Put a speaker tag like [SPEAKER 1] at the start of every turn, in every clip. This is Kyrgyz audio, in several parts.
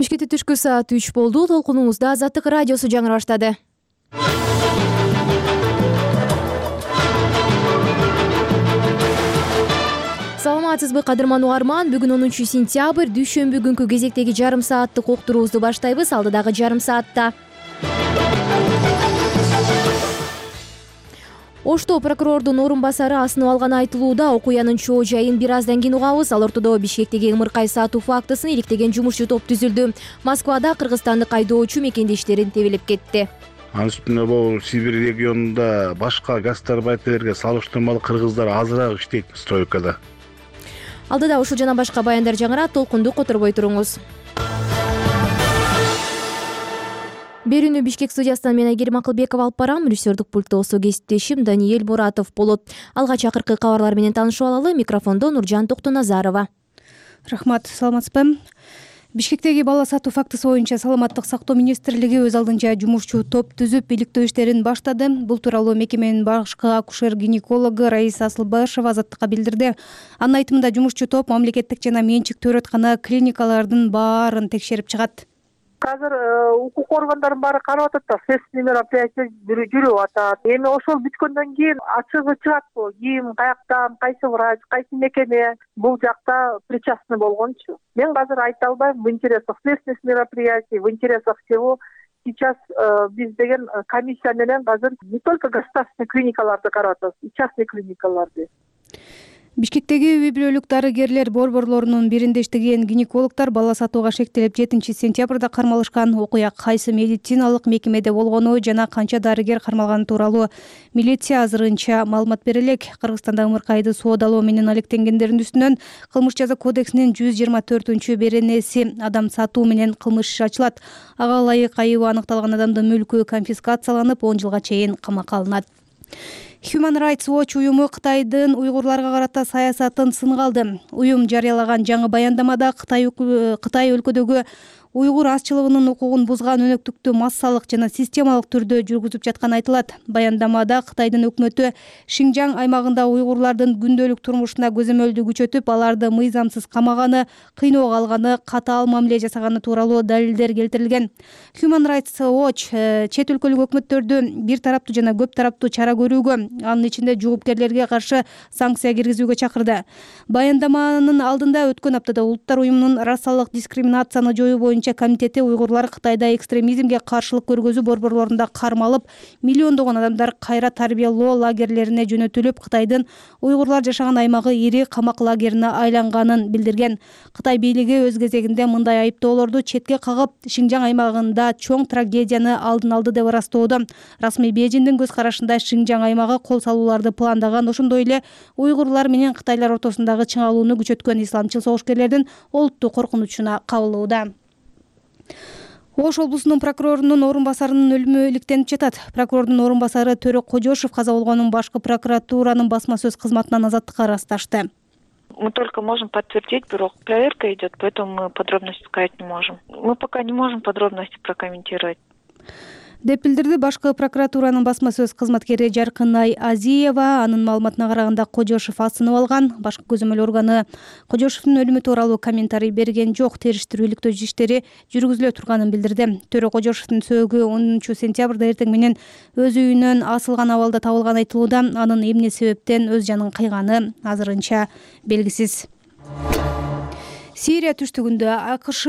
[SPEAKER 1] Бишкекте түшкү саат 3 болду. Толкунуңузда Азаттык радиосу жаңыра баштады. Саламатсызбы кадырман угарман. Бүгүн 10 сентябрь, дүйшөмбү күнкү кезектеги жарым сааттык уктуруубузду баштайбыз. Алдыдагы жарым саатта Ошто прокурордун орун басары асынып алганы айтылууда. Окуянын чоо жайын бир аздан кийин угабыз. Ал ортодо Бишкектеги ымыркай сатуу фактысын иликтеген жумушчу топ түзүлдү. Москвада кыргызстандык айдоочу мекендештерин тебелеп кетти.
[SPEAKER 2] Анын үстүнө бул Сибирь регионунда башка гастарбайтерге салыштырмалуу кыргыздар азыраак иштейт стройкада.
[SPEAKER 1] Алдыда ушул жана башка баяндар жаңырат. Толкунду которбой туруңуз. Берүүнү Бишкек студиясынан мен Айгерим Акылбекова алып барам. Режиссердик пультто кесиптешим Даниэль Муратов болот. Алгач акыркы кабарлар менен таанышып алалы. Микрофондо Нуржан Токтоназарова.
[SPEAKER 3] Рахмат, саламатсызбы? Бишкектеги бала сатуу фактысы боюнча Саламаттык сактоо министрлиги өз алдынча жумушчу топ түзүп, иликтөө иштерин баштады. Бул тууралуу мекеменин башкы акушер-гинекологу Раиса Асылбашева Азаттыкка билдирди. Анын айтымында жумушчу топ мамлекеттик жана менчиктүү оорукана клиникалардын баарын текшерип чыгат.
[SPEAKER 4] Азыр укук органдардын баары карап атат да, следственный мероприятие жүрүп атат. Эми ошол бүткөндөн кийин ачыгы чыгатпы, ким, каяктан, кайсы врач, кайсы мекеме бул жакта причастный болгончу. Мен азыр айта албайм. В интересах следственных мероприятий, в интересах всего сейчас биз деген комиссия менен азыр не только государственный клиникаларды карап атабыз, и частный клиникаларды.
[SPEAKER 3] Бишкектеги үй бүлөлүк дарыгерлер борборлорунун биринде иштеген гинекологдор бала сатууга шектелип 7 сентябрда кармалышкан. Окуя кайсы медициналык мекемеде болгону жана канча дарыгер кармалганы тууралуу милиция азырынча маалымат бере элек. Кыргызстанда ымыркайды соодалоо менен алектенгендердин үстүнөн кылмыш жаза кодексинин 124-беренеси адам сатуу менен кылмыш иши ачылат. Ага ылайык айыбы аныкталган адамдын мүлкү конфискацияланып 10 жылга чейин камакка алынат. Human Rights Watch уюму Кытайдын уйгурларга карата саясатын сынга алды. Уюм жарыялаган жаңы баяндамада Кытай өлкөдөгү уйгур азчылыгынын укугун бузган өнөктүктү массалык жана системалык түрдө жүргүзүп жатканы айтылат. Баяндамада Кытайдын өкмөтү Шинжаң аймагында уйгурлардын күндөлүк турмушуна көзөмөлдү күчөтүп, аларды мыйзамсыз камаганы, кыйноого алганы, катаал мамиле жасаганы тууралуу далилдер келтирилген. Human Rights Watch чет өлкөлүк өкмөттөрдү бир тараптуу жана көп тараптуу чара көрүүгө, анын ичинде жоопкерлерге каршы санкция киргизүүгө чакырды. Баяндаманын алдында өткөн аптада Улуттар уюмунун расалык дискриминацияны жоюу боюнча комитети уйгурлар Кытайда экстремизмге каршылык көргөзүү борборлорунда кармалып, миллиондогон адамдар кайра тарбиялоо лагерлерине жөнөтүлүп, Кытайдын уйгурлар жашаган аймагы ири камак лагерине айланганын билдирген. Кытай бийлиги өз кезегинде мындай айыптоолорду четке кагып, Шинжаң аймагында чоң трагедияны алдын алды деп ырастоодо. Расмий Бейжиңдин көз карашында Шинжаң аймагы кол салууларды пландаган, ошондой эле уйгурлар менен кытайлар ортосундагы чыңалууну күчөткөн исламчыл согушкерлердин олуттук коркунучуна кабылууда. Ош облусунун прокурорунун орун басарынын өлүмү иликтенип жатат. Прокурордун орун басары Төрө Кожошев каза болгонун башкы прокуратуранын басма сөз кызматынан Азаттыкка ырасташты.
[SPEAKER 5] Мы только можем подтвердить, бирок проверка идет, поэтому мы подробности сказать не можем. Мы пока не можем подробности прокомментировать.
[SPEAKER 3] Деп билдирди башкы прокуратуранын басма сөз кызматкери Жаркынай Азиева. Анын маалыматына караганда Кожошев асынып алган. Башкы көзөмөл органы Кожошевдун өлүмү тууралуу комментарий берген жок. Териштирүү иликтөө иштери жүргүзүлө турганын билдирди. Төрө Кожошевдун сөөгү 10 сентябрда эртең менен өз үйүнөн асылган абалда табылган айтылууда. Анын эмне себептен өз жанын кыйганы азырынча белгисиз. Сирия түштүгүндө АКШ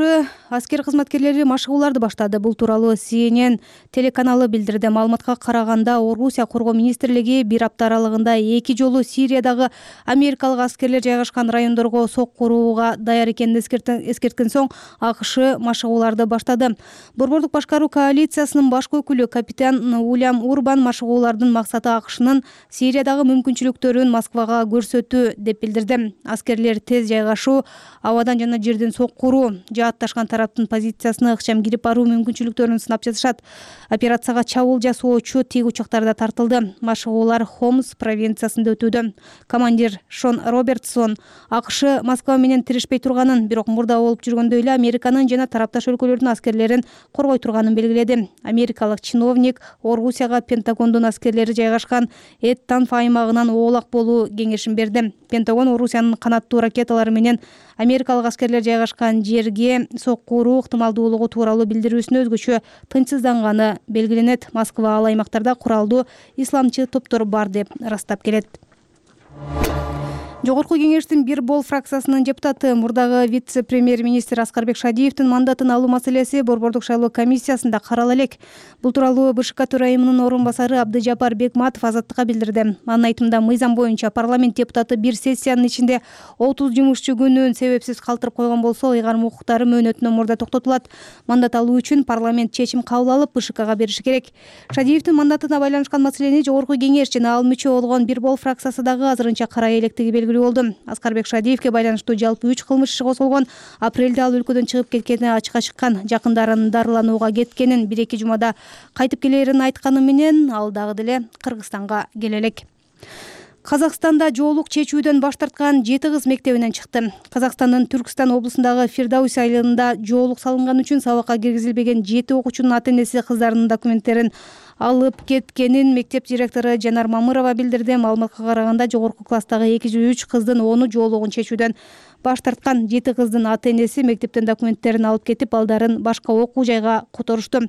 [SPEAKER 3] аскер кызматкерлери машыгууларды баштады. Бул тууралуу CNN телеканалы билдирди. Маалыматка караганда, Орусия коргоо министрлиги бир апта аралыгында 2 жолу Сириядагы америкалык аскерлер жайгашкан райондорго сок курууга даяр экенин эскерткен соң АКШ машыгууларды баштады. Борбордук башкаруу коалициясынын башкы өкүлү капитан Уильям Урбан машыгуулардын максаты АКШнын Сириядагы мүмкүнчүлүктөрүн Москвага көрсөтүү деп билдирди. Аскерлер тез жайгашуу, абадан жана жерден сок куруу, жаатташкан тараптын позициясына ыкчам кирип баруу мүмкүнчүлүктөрүн сынап жатышат. Операцияга чабуул жасоочу тик учактарда тартылды. Машыгуулар Хомс провинциясында өтүүдө. Командир Шон Робертсон АКШ Москва менен тирешпей турганын, бирок мурда болуп жүргөндөй эле Американын жана тарапташ өлкөлөрдүн аскерлерин коргой турганын белгиледи. Америкалык чиновник Орусияга Пентагондун аскерлери жайгашкан Эд-Танф аймагынан оолак болуу кеңешин берди. Пентагон Орусиянын канаттуу ракеталары менен америкалык аскерлер жайгашкан жерге сокку уруу ыктымалдуулугу тууралуу билдирүүсүнө өзгөчө тынчсызданганы белгиленет. Москва ал аймактарда куралдуу исламчы топтор бар деп ырастап келет. Жогорку кеңештин бир бол фракциясынын депутаты мурдагы вице-премьер-министр Аскарбек Шадиевдин мандатын алуу маселеси Борбордук шайлоо комиссиясында карала элек. Бул тууралуу БШК төрайымынын орун басары Абдыжапар Бекматов Азаттыкка билдирди. Анын айтымында, мыйзам боюнча парламент депутаты бир сессиянын ичинде 30 жумушчу күнүн себепсиз калтырып койгон болсо, ыйгарым укуктары мөөнөтүнөн мурда токтотулат. Мандат алуу үчүн парламент чечим кабыл алып, БШКга бериши керек. Шадиевдин мандатына байланышкан маселени Жогорку кеңеш жана ал мүчө болгон бир бол фракциясы дагы азырынча карай электиги белгилүү болду. Аскарбек Шадиевге байланыштуу жалпы 3 кылмыш иши козголгон. Апрелде ал өлкөдөн чыгып кеткени ачыкка чыккан. Жакындарын дарыланууга кеткенин, 1-2 жумада кайтып келерин айтканы менен ал дагы деле Кыргызстанга келе элек. Казакстанда жоолук чечүүдөн баш тарткан 7 кыз мектебинен чыкты. Казакстандын Түркстан облусундагы Фирдауси айылында жоолук салынган үчүн сабакка киргизилбеген 7 окуучунун ата-энеси кыздарынын документтерин алып кеткенин мектеп директору Жанар Мамырова билдирди. Маалыматка караганда, жогорку класстагы 203 кыздын 10-у жоолугун чечүүдөн баш тарткан. 7 кыздын ата-энеси мектептен документтерин алып кетип, балдарын башка окуу жайга которушту.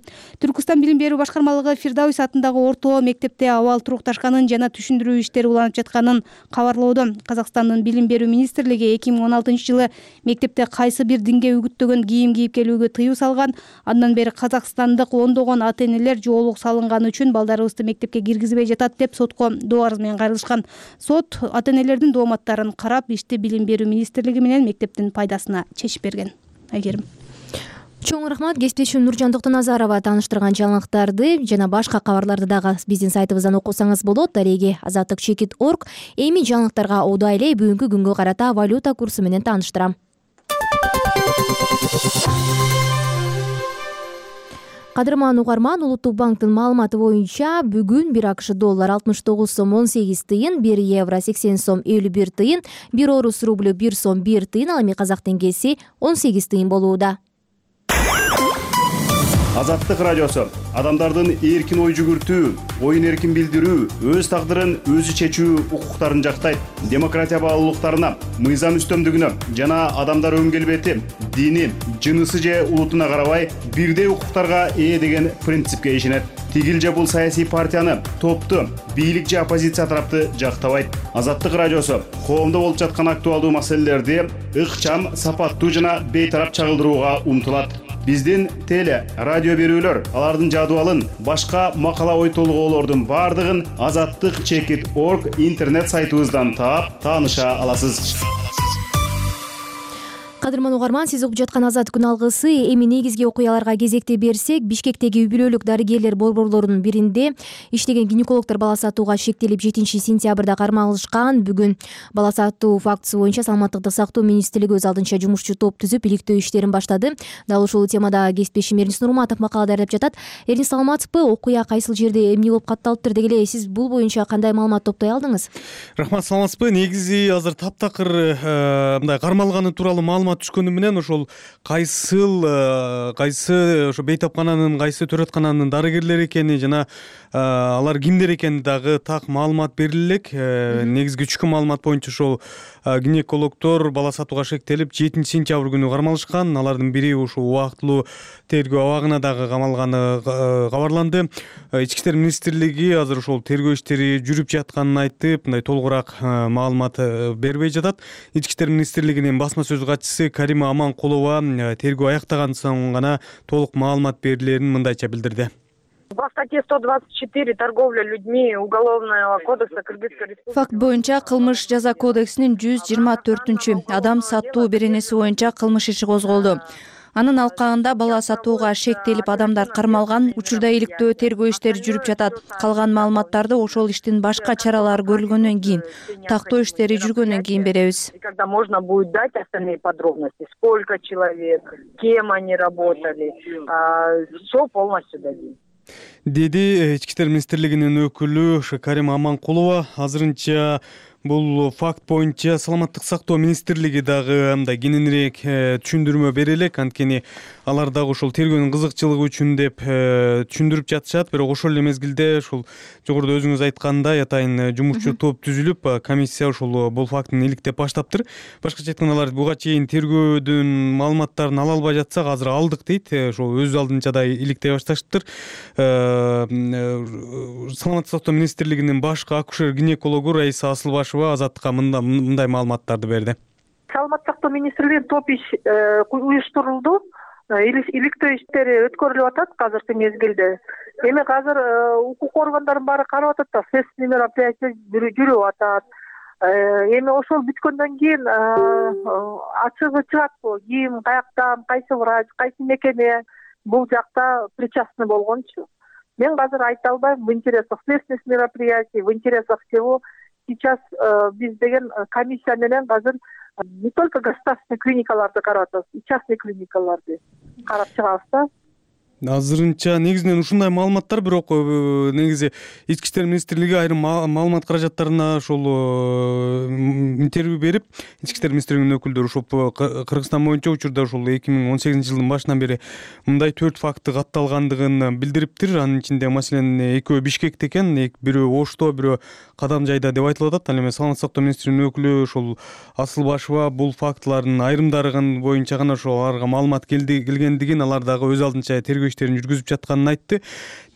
[SPEAKER 3] Түркстан билим берүү башкармалыгы Фирдауси атындагы орто мектепте абал турукташканын жана түшүндүрүү иштери уланып жатканын кабарлоодо. Казакстандын билим берүү министрлиги 2016-жылы мектепте кайсы бир динге үгүттөгөн кийим кийип келүүгө тыюу салган. Андан бери казакстандык ондогон ата-энелер жоолук салынган үчүн балдарыбызды мектепке киргизбей жатат деп сотко доо арыз менен кайрылышкан. Сот ата-энелердин дооматтарын карап, ишти билим берүү министрлиги менен мектептин пайдасына чечип берген. Айгерим.
[SPEAKER 1] Чоң рахмат. Кесиптешим Нуржан Токтоназарова тааныштырган жаңылыктарды жана башка кабарларды дагы биздин сайтыбыздан окусаңыз болот. Дареги azattik.org. Эми жаңылыктарга одай эле бүгүнкү күнгө карата валюта курсу менен тааныштырам. Кадырман угарман, Улуттук банктын маалыматы боюнча бүгүн 1 АКШ доллар 69 сом 18 тыйын, 1 евро 80 сом 51 тыйын, 1 орус рублю 1 сом 1 тыйын, ал эми казак теңгеси 18 тыйын болууда.
[SPEAKER 6] Азаттык радиосу адамдардын эркин ой жүгүртүү, оюн эркин билдирүү, өз тагдырын өзү чечүү укуктарын жактайт. Демократия баалуулуктарына, мыйзам үстөмдүгүнө жана адамдар өн келбети, дини, жынысы же улутуна карабай бирдей укуктарга ээ деген принципке ишенет. Тигил же бул саясий партияны, топту, бийлик же оппозиция тарапты жактабайт. Азаттык радиосу коомдо болуп жаткан актуалдуу маселелерди ыкчам, сапаттуу жана бейтарап чагылдырууга умтулат. Биздин теле, радио берүүлөр, алардын жадыбалын, башка макала ой толгоолордун бардыгын azattik.org интернет сайтыбыздан таап, тааныша аласыз.
[SPEAKER 1] Кадырман угарман, сиз угуп жаткан Азат күн алгысы. Эми негизги окуяларга кезекте берсек, Бишкектеги үй-бүлөлүк дарыгерлер борборлорунун биринде иштеген гинекологдор бала сатууга шектелип 7-сентябрда кармалышкан. Бүгүн бала сатуу фактысы боюнча Саламаттыкты сактоо министрлиги өз алдынча жумушчу топ түзүп, иликтөө иштерин баштады. Дал ушул темада кесиптешим Эрнис Нурматов макала даярдап жатат. Эрнис, саламатсызбы? Окуя кайсыл жерде эмне болуп катталыптыр деги эле сиз бул боюнча кандай маалымат топтой алдыңыз?
[SPEAKER 7] Рахмат, саламатсызбы? Негизи азыр таптакыр мындай кармалганы тууралуу маалымат түшкөнү менен ошол кайсы ошо бейтапкананын, кайсы төрөткананын дарыгерлери экени жана алар кимдер экени дагы так маалымат бериле элек. Негизги түшкөн маалымат боюнча ошол гинекологдор бала сатууга шектелип 7-сентябрь күнү кармалышкан. Алардын бири ушул убактылуу тергөө абагына дагы камалганы кабарланды. Ички иштер министрлиги азыр ошол тергөө иштери жүрүп жатканын айтып, мындай толугураак маалымат бербей жатат. Ички иштер министрлигинин басма сөз катчысы Карима Аманкулова тергөө аяктаган соң гана толук маалымат берилерин мындайча билдирди.
[SPEAKER 8] По статье 124 торговля людьми Уголовного кодекса Кыргызской Республики.
[SPEAKER 9] Факт боюнча кылмыш жаза кодексинин 124 адам сатуу беренеси боюнча кылмыш иши козголду. Анын алкагында бала сатууга шектелип адамдар кармалган. Учурда иликтөө тергөө иштери жүрүп жатат. Калган маалыматтарды ошол иштин башка чаралары көрүлгөндөн кийин, тактоо иштери жүргөндөн кийин беребиз.
[SPEAKER 8] Когда можно будет дать остальные подробности, сколько человек, кем они работали, все полностью дадим.
[SPEAKER 7] Деди ички иштер министрлигинин өкүлү Карима Аманкулова. Азырынча Бул факт боюнча саламаттык сактоо министрлиги дагы мындай кененирээк түшүндүрмө бере элек, анткени алар дагы ошол тергөөнүн кызыкчылыгы үчүн деп түшүндүрүп жатышат. Бирок ошол эле мезгилде ушул жогоруда өзүңүз айткандай атайын жумушчу топ түзүлүп, комиссия ушул бул фактыны иликтеп баштаптыр. Башкача айтканда алар буга чейин тергөөдүн маалыматтарын ала албай жатсак азыр алдык дейт. Ошол өз алдынча да иликтей башташыптыр. Саламаттык сактоо министрлигинин башкы акушер-гинекологу Раиса Асылбашева Азаттыкка мындай маалыматтарды берди.
[SPEAKER 4] Саламаттык сактоо министрлигинин топ иш уюштурулду. Иликтөө иштери өткөрүлүп атат азыркы мезгилде. Эми азыр укук органдардын баары карап атат да, следственный мероприятие жүрүп атат. Эми ошол бүткөндөн кийин ачыгы чыгатпы, ким, каяктан, кайсы врач, кайсы мекеме бул жакта причастный болгончу. Мен азыр айта албайм. В интересах следственных мероприятий, в интересах всего сейчас биз деген комиссия менен азыр не только государственный клиникаларды карап атабыз, и частный клиникаларды карап чыгабыз да.
[SPEAKER 7] Азырынча негизинен ушундай маалыматтар, бирок негизи Ички иштер министрлиги айрым маалымат каражаттарына ошол интервью берип, Ички иштер министрлигинин өкүлдөрү ошол Кыргызстан боюнча учурда ошол 2018 жылдын башынан бери мындай 4 факты катталгандыгын билдириптир. Анын ичинде маселен экөө Бишкекте экен, бирөө Ошто, бирөө Кадамжайда деп айтылып атат. Ал эми саламаттык сактоо министринин өкүлү ошол Асылбашева бул фактылардын айрымдарын боюнча гана ошол аларга маалымат келгендигин, алар дагы өз алдынча тергөө иштерин жүргүзүп жатканын айтты.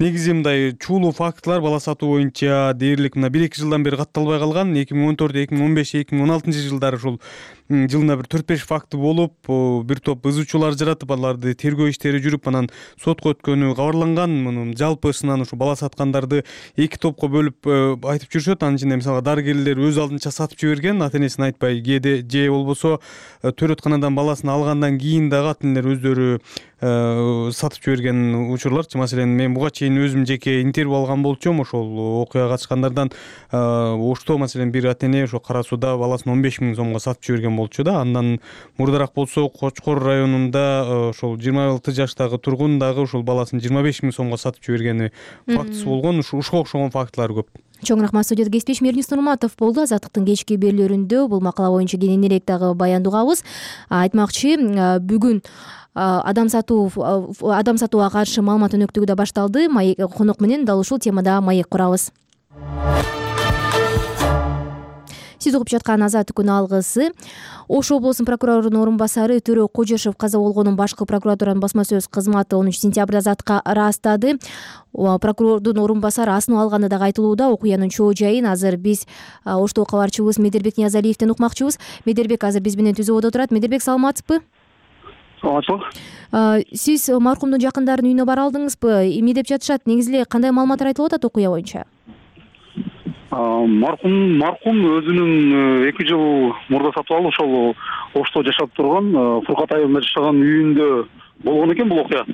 [SPEAKER 7] Негизи мындай чуулуу фактылар бала сатуу боюнча дээрлик 1-2 жылдан бери катталбай калган. 2014, 2015, 2016 жылдары ушул жылына бир 4-5 факты болуп, бир топ ызычуулар жаратып, аларды тергөө иштери жүрүп, анан сотко өткөнү кабарланган. Мунун жалпысынан ушу бала саткандарды 2 топко бөлүп айтып жүрүшөт. Анын ичинде мисалга дарыгерлер өз алдынча сатып жиберген, ата энесин айтпай, же болбосо төрөтканадан баласын алгандан кийин дагы ата энелер өздөрү сатып жиберген учурларчы. Маселен, мен буга чейин өзүм жеке интервью алган болчумун ошол окуяга катышкандардан. Ошто маселен бир ата эне ошо Кара Сууда баласын 15 000 сомго сатып жиберген болчу да. Андан мурдараак болсо Кочкор районунда ошол 26 жаштагы тургун дагы ошол баласын 25 000 сомго сатып жибергени фактысы болгон. Ушуга окшогон фактылар көп.
[SPEAKER 1] Чоң рахмат. Студияда кесиптешим Эрнис Нурматов болду. Азаттыктын кечки берүүлөрүндө бул макала боюнча кененирээк дагы баяндоогабыз. Айтмакчы, бүгүн адам сатууга каршы маалымат өнөктүгү да башталды. Конок менен дал ушул темада маек курабыз. Сиз угуп жаткан Азаттык күнү алгысы. Ош облусунун прокурорунун орун басары Төрө Кожошев каза болгонун башкы прокуратуранын басма сөз кызматы 10 сентябрда Азаттыкка ырастады. Прокурордун орун басары асынып алганы дагы айтылууда. Окуянын чоо жайын азыр биз Оштоо кабарчыбыз Медербек Ниязалиевден укмакчыбыз. Медербек азыр биз менен түзүүбөдө турат. Медербек, саламатсызбы?
[SPEAKER 10] Саламатсызбы.
[SPEAKER 1] Сиз маркумдун жакындарынын үйүнө бара алдыңызбы? Эмне деп жатышат? Негизи эле кандай маалыматтар айтылып атат окуя боюнча?
[SPEAKER 10] Маркум өзүнүн 2 жыл мурда сатып алып, ошол Ошто жашап турган Фуркат айылында жашаган үйүндө болгон экен бул окуя.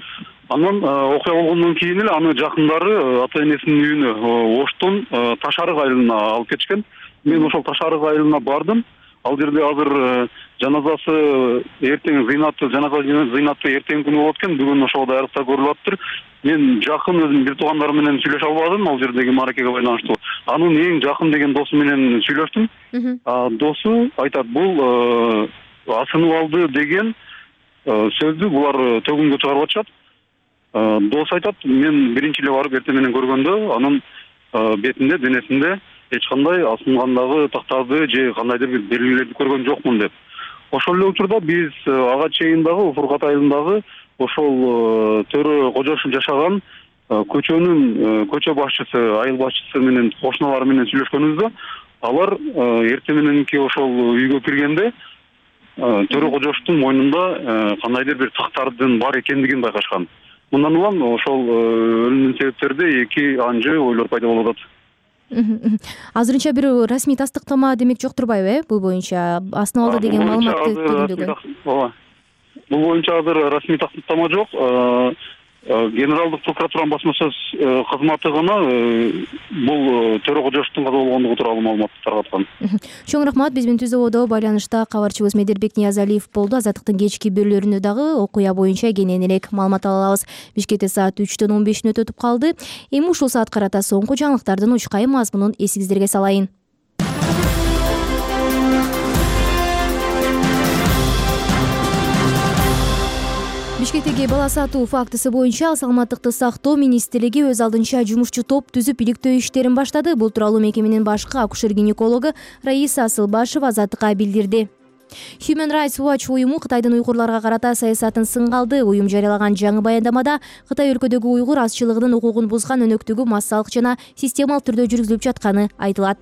[SPEAKER 10] Андан окуя болгондон кийин эле аны жакындары ата энесинин үйүнө Оштон Таш-Арык айылына алып кетишкен. Мен ошол Таш-Арык айылына бардым. Ал жерде азыр жаназасы эртең зыйнаты эртең күнү болот экен. Бүгүн ошол даярдыкта көрүлүп атыптыр. Мен жакын өзүм бир туугандарым менен сүйлөшө албадым ал жердеги мааракеге байланыштуу. Анын эң жакын деген досу менен сүйлөштүм. Досу айтат, бул асынып алды деген сөздү булар төгүнгө чыгарып атышат. Досу айтат, мен биринчи эле барып эртең менен көргөндө анын бетинде, денесинде эч кандай асынгандагы тактарды же кандайдыр бир белгилерди көргөн жокмун деп. Ошол эле учурда биз ага чейин дагы Фуркат айылындагы ошол Төрө Кожошев жашаган көчө башчысы, айыл башчысы менен кошуналары менен сүйлөшкөнүбүздө, алар эртең мененки ошол үйгө киргенде Төрө Кожошевдун мойнунда кандайдыр бир тактардын бар экендигин байкашкан. Мындан улам ошол өлүмдүн себептерде эки анжы ойлор пайда болуп атат.
[SPEAKER 1] Азырынча бир расмий тастыктама демек жок турбайбы, бул боюнча асынып алды деген маалыматты төгүндөгөн?
[SPEAKER 10] Ооба. Бул боюнча азыр расмий тастыктама жок. Генералдык прокуратуранын басма сөз кызматы гана бул Төрө Кожошевдун каза болгондугу тууралуу маалымат таркаткан.
[SPEAKER 1] Чоң рахмат. Биз менен түзүүбөдө байланышта кабарчыбыз Медербек Ниязалиев болду. Азаттыктын кечки берүүлөрүндө дагы окуя боюнча кененирээк маалымат ала алабыз. Бишкекте саат 3-төн 15 өтүп калды. Эми ушул саат карата соңку жаңылыктардын учкай мазмунун эсиңиздерге салайын. Бишкектеги бала сатуу фактысы боюнча саламаттыкты сактоо министрлиги өз алдынча жумушчу топ түзүп иликтөө иштерин баштады. Бул тууралуу мекеменин башкы акушер-гинекологу Раиса Асылбашева Азаттыкка билдирди. Human Rights Watch уюму Кытайдын уйгурларга карата саясатын сынга алды. Уюм жарыялаган жаңы баяндамада Кытай өлкөдөгү уйгур азчылыгынын укугун бузган өнөктүгү массалык жана системалык түрдө жүргүзүлүп жатканы айтылат.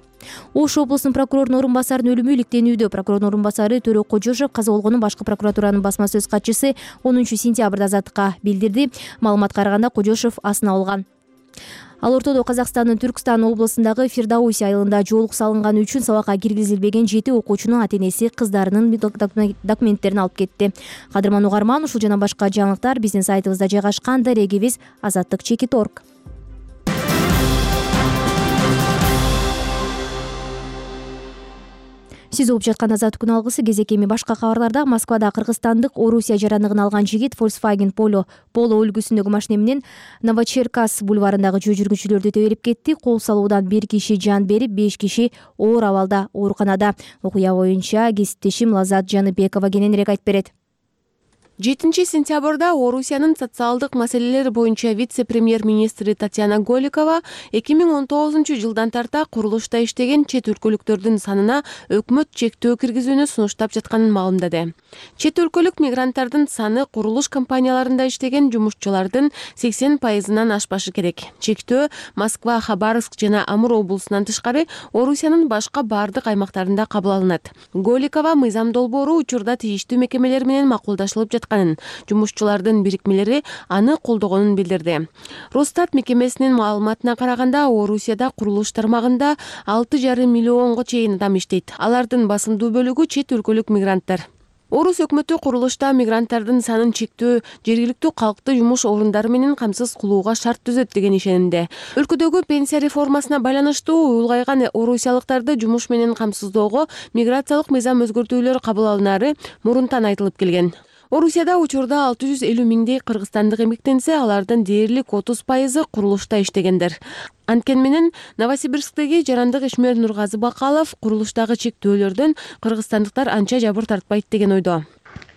[SPEAKER 1] Ош облусунун прокурорунун орун басарынын өлүмү иликтенүүдө. Прокурордун орун басары Төрө Кожошев каза болгонун башкы прокуратуранын басма сөз катчысы 10 сентябрда Азаттыкка билдирди. Маалыматка караганда Кожошев асына алган. Ал ортодо Казакстандын Түркстан облусундагы Фирдауси айылында жоолук салынганы үчүн сабакка киргизилбеген 7 окуучунун ата-энеси кыздарынын документтерин алып кетти. Кадырман угарман, ушул жана башка жаңылыктар биздин сайтыбызда жайгашкан. Дарегибиз azattik.org. Сиз угуп жаткан Азаттык күн алгысы кезек эми башка кабарларда. Москвада кыргызстандык Орусия жарандыгын алган жигит Volkswagen Polo үлгүсүндөгү машина менен Новочеркаск бульварындагы жөө жүргүнчүлөрдү тебелип кетти. Кол салуудан 1 киши жан берип, 5 киши оор абалда ооруканада. Окуя боюнча кесиптешим Лазат Жаныбекова кененирээк айтып берет.
[SPEAKER 11] 7 сентябрда Орусиянын социалдык маселелер боюнча вице-премьер-министри Татьяна Голикова 2019 жылдан тарта курулушта иштеген чет өлкөлүктөрдүн санына өкмөт чектөө киргизүүнү сунуштап жатканын маалымдады. Чет өлкөлүк мигранттардын саны курулуш компанияларында иштеген жумушчулардын 80%-нан ашпашы керек. Чектөө Москва, Хабаровск жана Амур облусунан тышкары Орусиянын башка бардык аймактарында кабыл алынат. Голикова мыйзам долбоору учурда тийиштүү мекемелер менен макулдашылып жатканын, жумушчулардын бирикмелери аны колдогонун билдирди. Росстат мекемесинин маалыматына караганда, Орусияда курулуш тармагында 6,5 миллионго чейин адам иштейт. Алардын басымдуу бөлүгү чет өлкөлүк мигранттар. Орус өкмөтү курулушта мигранттардын санын чектөө, жергиликтүү калкты жумуш орундары менен камсыз кылууга шарт түзөт деген ишенимде. Өлкөдөгү пенсия реформасына байланыштуу улгайган орусиялыктарды жумуш менен камсыздоого миграциялык мыйзам өзгөртүүлөр кабыл алынары мурунтан айтылып келген. Орусияда учурда 650 миңдей кыргызстандык эмгектенсе, алардын дээрлик 30% курулушта иштегендер. Анткени менен Новосибирсктеги жарандык ишмер Нургазы Бакалов курулуштагы чектөөлөрдөн кыргызстандыктар анча жабыр тартпайт деген ойдо.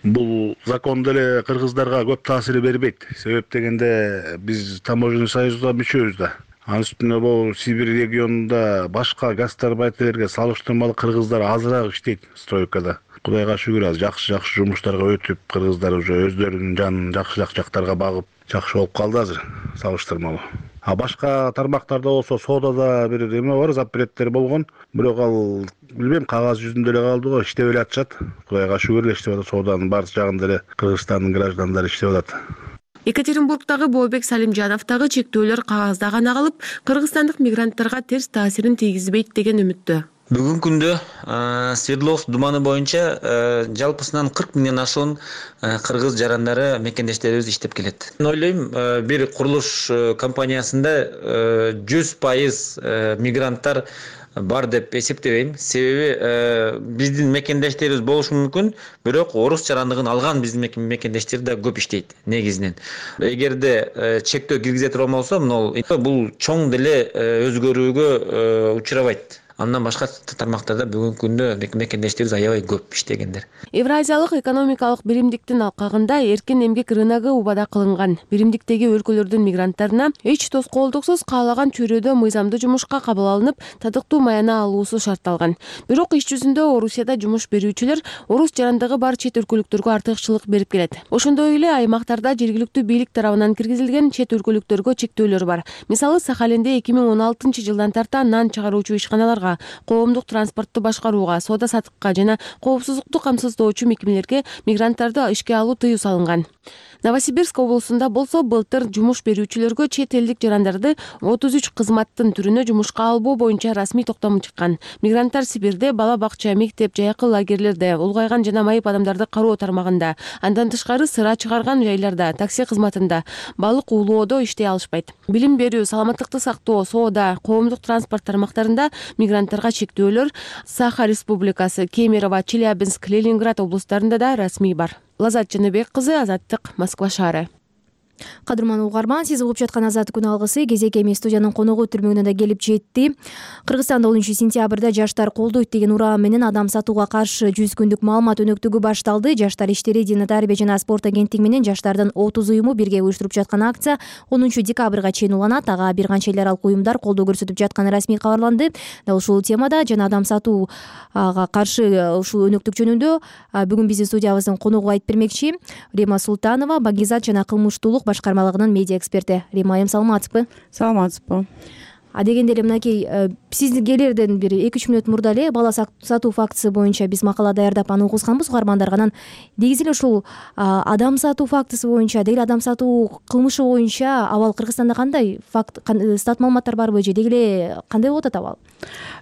[SPEAKER 2] Бул закон деле кыргыздарга көп таасир бербейт. Себеп дегенде биз таможенный союзга мүчөбүз да. Анын үстүнө бул Сибирь регионунда башка гастарбайтерге салыштырмалуу кыргыздар азыраак иштейт стройкада. Кудайга шүгүр, жакшы жумуштарга өтүп, кыргыздар уже өздөрүнүн жанын жакшыраак жактарга багып, жакшы болуп калды азыр салыштырмалуу. А башка тармактарда болсо соодада бир эме бар, запреттер болгон. Бирок ал билбейм, кагаз жүзүндө эле калды го, иштеп эле атышат. Кудайга шүгүр эле иштеп атат, сооданын баары жагында эле Кыргызстандын граждандары иштеп атат.
[SPEAKER 11] Екатеринбургдагы Бообек Салимжановдагы чектөөлөр кагазда гана калып, кыргызстандык мигранттарга терс таасирин тийгизбейт деген үмүттө.
[SPEAKER 12] Бүгүнкү күндө Свердловск думаны боюнча жалпысынан 40 миңден ашуун кыргыз жарандары мекендештерибиз иштеп келет. Ойлойм, бир курулуш компаниясында 100% мигранттар бар деп эсептебейм. Себеби биздин мекендештерибиз болушу мүмкүн, бирок орус жарандыгын алган биздин мекендештер да көп иштейт негизинен. Эгерде чектөө киргизе турган болсо, бул чоң деле өзгөрүүгө учурабайт. Андан башка тармактарда бүгүнкү күндө мекендештерибиз аябай көп иштегендер.
[SPEAKER 11] Евразиялык экономикалык биримдиктин алкагында эркин эмгек рыногу убада кылынган. Биримдиктеги өлкөлөрдүн мигранттарына эч тоскоолдуксуз каалаган чөйрөдө мыйзамдуу жумушка кабыл алынып, татыктуу маяна алуусу шартталган. Бирок иш жүзүндө Орусияда жумуш берүүчүлөр орус жарандыгы бар чет өлкөлүктөргө артыкчылык берип келет. Ошондой эле аймактарда жергиликтүү бийлик тарабынан киргизилген чет өлкөлүктөргө чектөөлөр бар. Мисалы, Сахалинде 2016 жылдан тарта нан чыгаруучу ишканаларга, коомдук транспортту башкарууга, соода саттыкка жана коопсуздукту камсыздоочу мекемелерге мигранттарды ишке алуу тыюу салынган. Новосибирск облусунда болсо былтыр жумуш берүүчүлөргө чет элдик жарандарды 33 кызматтын түрүнө жумушка албоо боюнча расмий токтом чыккан. Мигранттар Сибирде бала бакча, мектеп, жайкы лагерлерде, улгайган жана майып адамдарды кароо тармагында, андан тышкары сыра чыгарган жайларда, такси кызматында, балык уулоодо иштей алышпайт. Билим берүү, саламаттыкты сактоо, соода, коомдук транспорт тармактарында мигранттарга чектөөлөр Саха Республикасы, Кемерово, Челябинск, Ленинград облустарында да расмий бар. Лазат Жаныбек кызы, Азаттык, Москва шаары.
[SPEAKER 1] Кадырман угарман, сиз угуп жаткан Азаттык күн алгысы кезек эми студиянын коногу түрмөгүнө да келип жетти. Кыргызстанда 10-сентябрда жаштар колдойт деген ураам менен адам сатууга каршы 100 күндүк маалымат өнөктүгү башталды. Жаштар иштери, Дина тарбия жана спорт агенттиги менен жаштардын 30 уюму бирге уюштуруп жаткан акция 10 декабрга чейин уланат. Ага бир канча эл аралык уюмдар колдоо көрсөтүп жатканы расмий кабарланды. Дал ушул темада жана адам сатууга каршы ушул өнөктүк жөнүндө бүгүн биздин студиябыздын коногу айтып бермекчи Рима Султанова, Багизат жана кылмыштуулук башкармалыгынын медиа эксперти. Рима айым, саламатсызбы?
[SPEAKER 3] Саламатсызбы.
[SPEAKER 1] Дегенде эле мынакей сиздин келерден бир 2-3 мүнөт мурда эле бала сатуу фактысы боюнча биз макала даярдап аны угузганбыз угармандарга. Анан негизи эле ушул адам сатуу фактысы боюнча, деги эле адам сатуу кылмышы боюнча абал Кыргызстанда кандай факт, стат маалыматтар барбы же деги эле кандай болуп атат абал?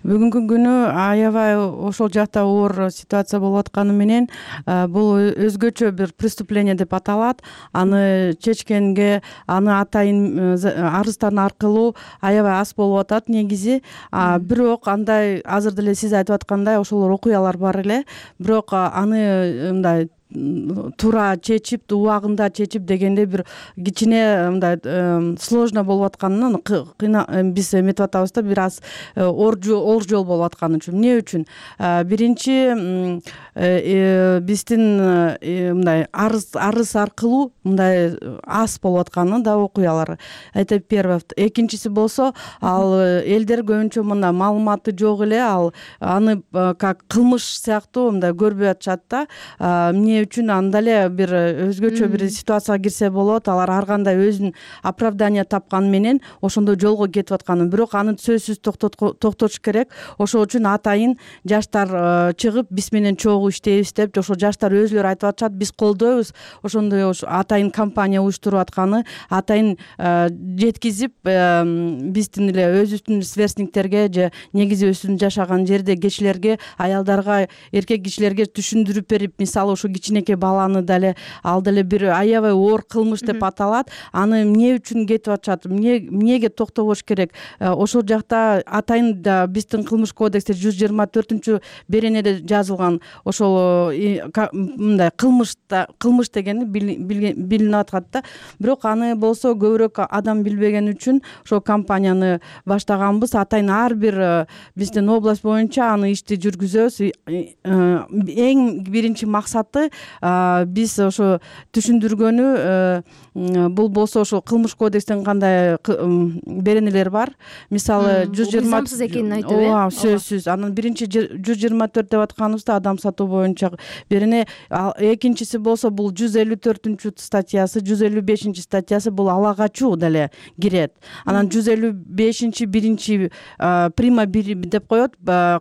[SPEAKER 13] Бүгүнкү күнү аябай ошол жакта оор ситуация болуп атканы менен бул өзгөчө бир преступление деп аталат. Аны чечкенге, аны атайын арыздардын аркылуу аябай аз болуп атат негизи. Бирок андай азыр деле сиз айтып аткандай ошол окуялар бар эле. Бирок аны мындай туура чечип, убагында чечип дегенде бир кичине мындай сложно болуп атканын биз эметип атабыз да, бир аз оор жол болуп атканы үчүн. Эмне үчүн? Биринчи биздин мындай арыз аркылуу мындай аз болуп атканы да окуялар. Это первое. Экинчиси болсо, ал элдер көбүнчө мына маалыматы жок эле, ал аны как кылмыш сыяктуу мындай көрбөй атышат да. Эмне үчүн анда эле бир өзгөчө бир ситуацияга кирсе болот. Алар ар кандай өзүнүн оправдание тапканы менен ошондой жолго кетип атканы. Бирок аны сөзсүз токтотуш керек. Ошол үчүн атайын жаштар чыгып биз менен чогуу иштейбиз деп, ошо жаштар өзүлөрү айтып атышат, биз колдойбуз. Ошондой атайын компания уюштуруп атканы, атайын жеткизип биздин эле өзүбүздүн сверстниктерге же негизи өзүбүздүн жашаган жерде кишилерге, аялдарга, эркек кишилерге түшүндүрүп берип, мисалы ушу кичинекей баланы деле ал деле бир аябай оор кылмыш деп аталат. Аны эмне үчүн кетип атышат, эмнеге токтобош керек? Ошол жакта атайын да биздин кылмыш кодексте 124 беренеде жазылган ошол мындай кылмыш дегени билинип аткат да. Бирок аны болсо көбүрөөк адам билбеген үчүн ошол компанияны баштаганбыз. Атайын ар бир биздин область боюнча аны ишти жүргүзөбүз. Эң биринчи максаты биз ошо түшүндүргөнү, бул болсо ошо кылмыш кодекстин кандай беренелер бар. Мисалы 120
[SPEAKER 1] мыйзамсыз экенин айтып,
[SPEAKER 13] сөзсүз. Анан биринчи 124 деп атканыбызда адам сатуу боюнча берене. Экинчиси болсо бул 154 статьясы, 155 статьясы бул ала качуу деле кирет. Анан 155 биринчи прима деп коет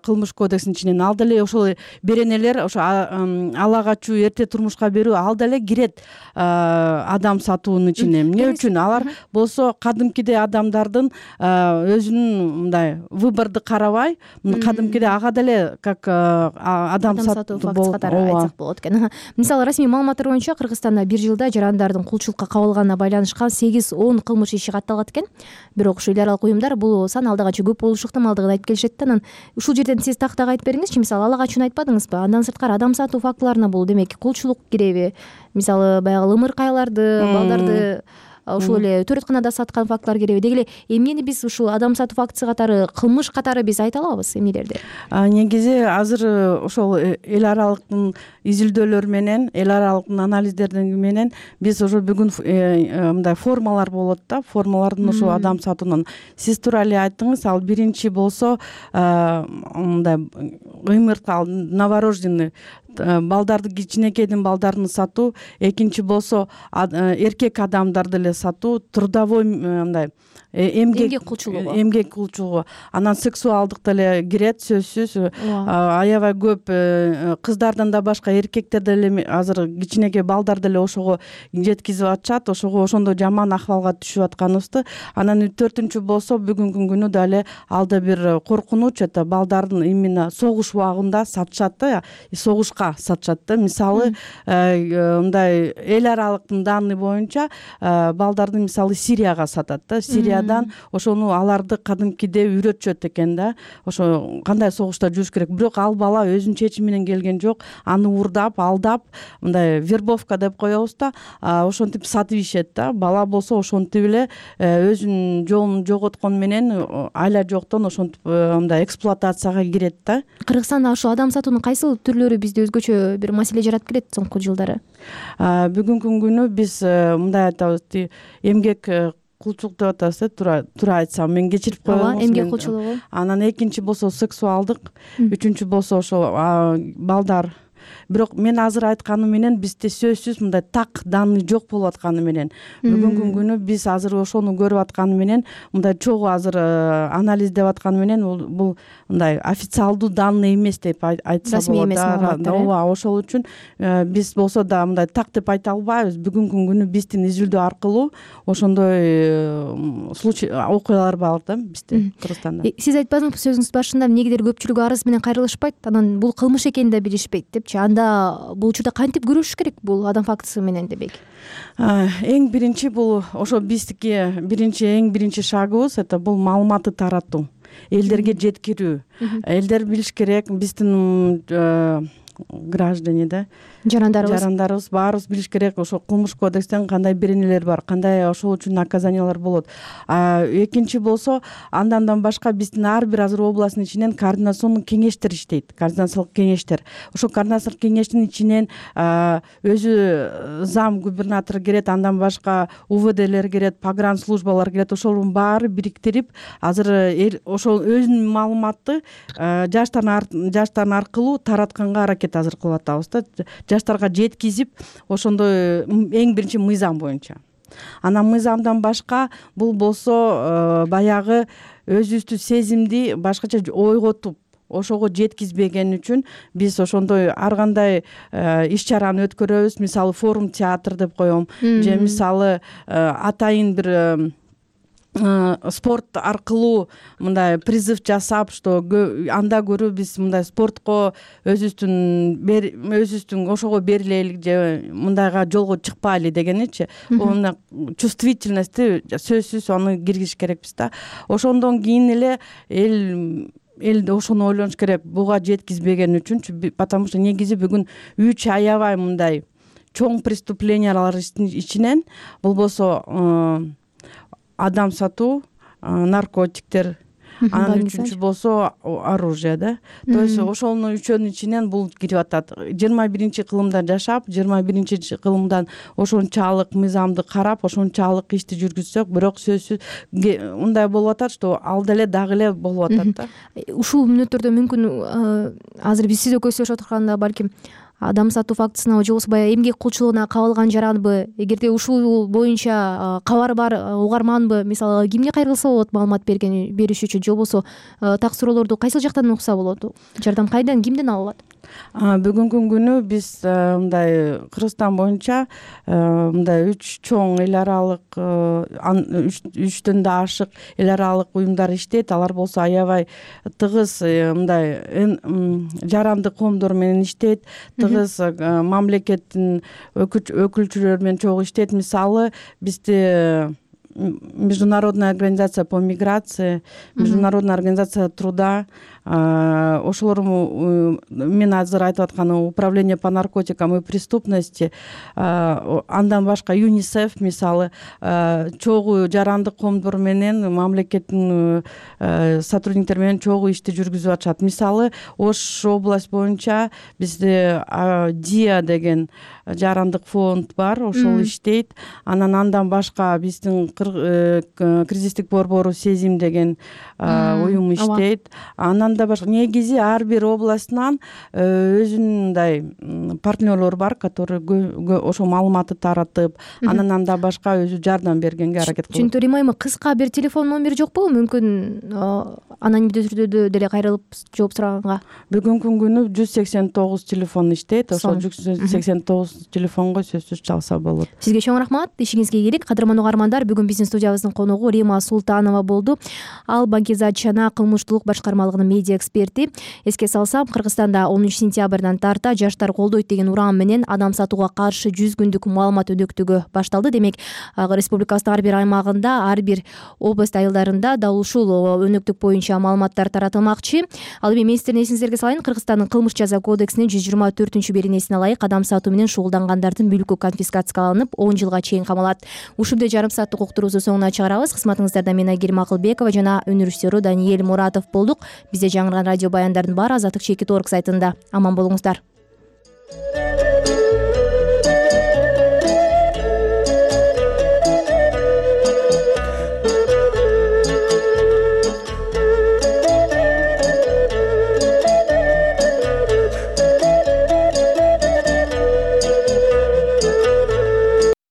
[SPEAKER 13] кылмыш кодексинин ичинен. Ал деле ошол беренелер, ошо ала качуу, эрте турмушка берүү, ал деле кирет адам сатуунун ичине. Эмне үчүн? Алар болсо кадимкидей адамдардын өзүнүн мындай выборду карабай, кадимкидей ага деле как адам сатуу
[SPEAKER 1] фактысы катары айтсак болот экен. Мисалы расмий маалыматтар боюнча Кыргызстанда бир жылда жарандардын кулчулукка кабылганына байланышкан 8-10 кылмыш иши катталат экен. Бирок ушул эл аралык уюмдар бул сан алда канча көп болушу ыктымалдыгын айтып келишет да. Анан ушул жерден сиз тактак айтып бериңизчи, мисалы ала качууну айтпадыңызбы? Андан сырткары адам сатуу фактыларына бул демек кулчулук киреби? Мисалы баягы ымыркайларды, балдарды ушул эле төрөтканада саткан фактылар киреби? Деги эле эмнени биз ушул адам сатуу фактысы катары, кылмыш катары биз айта алабыз эмнелерди?
[SPEAKER 13] Негизи азыр ошол эл аралыктын изилдөөлөр менен, эл аралыктын анализдерден менен биз ошо бүгүн мындай формалар болот да, формалардын ошо адам сатуунун. Сиз туура эле айттыңыз, ал биринчи болсо мындай ымырткал, новорожденный балдарды, кичинекейдин балдарын сатуу, экинчи болсо эркек адамдарды эле сатуу, трудовой мындай эмгек кулчулугу, анан сексуалдык деле кирет сөзсүз. Аябай көп кыздардан да башка эркектер деле азыр кичинекей балдар деле ошого жеткизип атышат, ошого ошондой жаман акыбалга түшүп атканыбызды. Анан 4-үнчү болсо бүгүнкү күнү дале алда бир коркунуч, это балдардын именно согуш убагында сатышат да, согушка башка сатышат да. Мисалы мындай эл аралыктын данный боюнча балдарды мисалы Сирияга сатат да. Сириядан ошону аларды кадимкиде үйрөтүшөт экен да. Ошо кандай согушта жүрүш керек. Бирок ал бала өзүнүн чечими менен келген жок. Аны урдап, алдап, мындай вербовка деп коебуз да. Ошентип сатып ишет да. Бала болсо ошентип эле өзүнүн жолун жоготкон менен айла жоктон ошентип мындай эксплуатацияга кирет да.
[SPEAKER 1] Кыргызстанда ошо адам сатуунун кайсыл түрлөрү бизде өзгөчө бир маселе жаратып келет соңку жылдары?
[SPEAKER 13] Бүгүнкү күнү биз мындай айтабыз, эмгек кулчулук деп атабыз туура айтсам, мен кечирип коебуз.
[SPEAKER 1] Эмгек кулчулугу.
[SPEAKER 13] Анан экинчи болсо сексуалдык, үчүнчү болсо ошо балдар. Бирок мен азыр айтканым менен бизде сөзсүз мындай так данный жок болуп атканы менен бүгүнкү күнү биз азыр ошону көрүп атканы менен мындай чогуу азыр анализдеп атканы менен бул мындай официалдуу данный эмес деп айтса болот да. Ооба, ошол үчүн биз болсо да мындай так деп айта албайбыз. Бүгүнкү күнү биздин изилдөө аркылуу ошондой случай окуялар бар да бизде Кыргызстанда.
[SPEAKER 1] Сиз айтпадыңызбы сөзүңүздүн башында эмнегедир көпчүлүгү арыз менен кайрылышпайт, анан бул кылмыш экенин да билишпейт депчи. Анда бул учурда кантип күрөшүш керек бул адам фактысы менен дебек?
[SPEAKER 13] Эң биринчи бул ошо биздики эң биринчи шагыбыз это бул маалыматты таратуу, элдерге жеткирүү. Элдер билиш керек, биздин граждане да, жарандарыбыз баарыбыз билиш керек ошо кылмыш кодекстен кандай беренелер бар, кандай ошол үчүн наказаниялар болот. Экинчи болсо андан башка биздин ар бир азыр областтын ичинен координационный кеңештер иштейт, координациялык кеңештер. Ошо координациялык кеңештин ичинен өзү зам губернатор кирет, андан башка УВДлер кирет, погранслужбалар кирет. Ошолордун баары бириктирип азыр ошол өзүнүн маалыматты жаштар аркылуу таратканга аракет азыр кылып атабыз да. Жаштарга жеткизип, ошондой эң биринчи мыйзам боюнча. Анан мыйзамдан башка бул болсо баягы өзүбүздү сезимди башкача ойготуп ошого жеткизбеген үчүн биз ошондой ар кандай иш-чараны өткөрөбүз. Мисалы форум театр деп коем, же мисалы атайын бир спорт аркылуу мындай призыв жасап, что анда көрө биз мындай спортко өзүбүздүн ошого берилели же мындайга жолго чыкпайлы дегеничи. Мына чувствительностьти сөзсүз аны киргизиш керекпиз да. Ошондон кийин эле эл ошону ойлонуш керек, буга жеткизбеген үчүнчү, потому что негизи бүгүн аябай мындай чоң преступлениялар ичинен болбосо адам сатуу, наркотиктер, анан үчүнчү болсо оружие да. То есть ошонун үчөөнүн ичинен бул кирип атат. 21 кылымда жашап, 21 кылымдан ошончалык мыйзамды карап, ошончалык ишти жүргүзсөк, бирок сөзсүз мындай болуп атат, что ал деле дагы эле болуп атат да.
[SPEAKER 1] Ушул мүнөттөрдө мүмкүн азыр биз сиз экөөбүз сүйлөшүп отурганда балким адам сатуу фактысына же болбосо баягы эмгек кулчулугуна кабылган жаранбы, эгерде ушул боюнча кабар бар угарманбы, мисалы кимге кайрылса болот маалымат бериш үчүн, же болбосо так суроолорду кайсыл жактан укса болот? Жардам кайдан, кимден алынат?
[SPEAKER 13] Бүгүнкү күнү биз мындай Кыргызстан боюнча мындай 3 чоң эл аралык 3төн да ашык эл аралык уюмдар иштейт. Алар болсо аябай тыгыз мындай жарандык коомдор менен иштейт, тыгыз мамлекеттин өкүлчүлөрү менен чогуу иштейт. Мисалы бизде Международная организация по миграции, Международная организация труда, ошолор мен азыр айтып атканым управление по наркотикам и преступности, андан башка ЮНИСЕФ мисалы чогуу жарандык коомдор менен мамлекеттин сотрудниктери менен чогуу ишти жүргүзүп атышат. Мисалы Ош область боюнча бизде ДИА деген жарандык фонд бар, ошол иштейт. Андан башка биздин кризистик борбору Сезим деген уюм иштейт. Андан да башка негизи ар бир областынан өзүнүн мындай партнерлор бар, которые ошо маалыматты таратып, андан да башка өзү жардам бергенге аракет кылат.
[SPEAKER 1] Түшүндүрөм айма, кыска бир телефон номери жокпу? Мүмкүн анонимдүү түрдө деле кайрылып жооп сураганга.
[SPEAKER 13] Бүгүнкү күнү 189 телефон иштейт. Ошол 189 телефонго сөзсүз чалса болот.
[SPEAKER 1] Сизге чоң рахмат, ишиңизге ийгилик. Кадырман угармандар, бүгүн биздин студиябыздын коногу Рима Султанова болду. Ал Бакизат Чана кылмыштуулук башкармалыгынын медиа эксперти. Эске салсам, Кыргызстанда 10 сентябрдан тарта жаштар колдойт деген уран менен адам сатууга каршы 100 күндүк маалымат өнөктүгү башталды. Демек, республикабыздын ар бир аймагында, ар бир область айылдарында дал ушул өнөктүк боюнча маалыматтар таратылмакчы. Ал эми мен сиздердин эсиңиздерге салайын, Кыргызстандын кылмыш жаза кодексинин 124-беренесине ылайык адам сатуу менен шугулдангандардын мүлкү конфискацияланып 10 жылга чейин камалат. Ушундай жарым сааттык уктуруубузду соңуна чыгарабыз. Кызматыңыздарда мен Айгерим Акылбекова жана өнүрүштөрү Даниэль Муратов болдук. Бизде жаңырган радио баяндардын баары Азаттык чекит.org сайтында. Аман болуңуздар.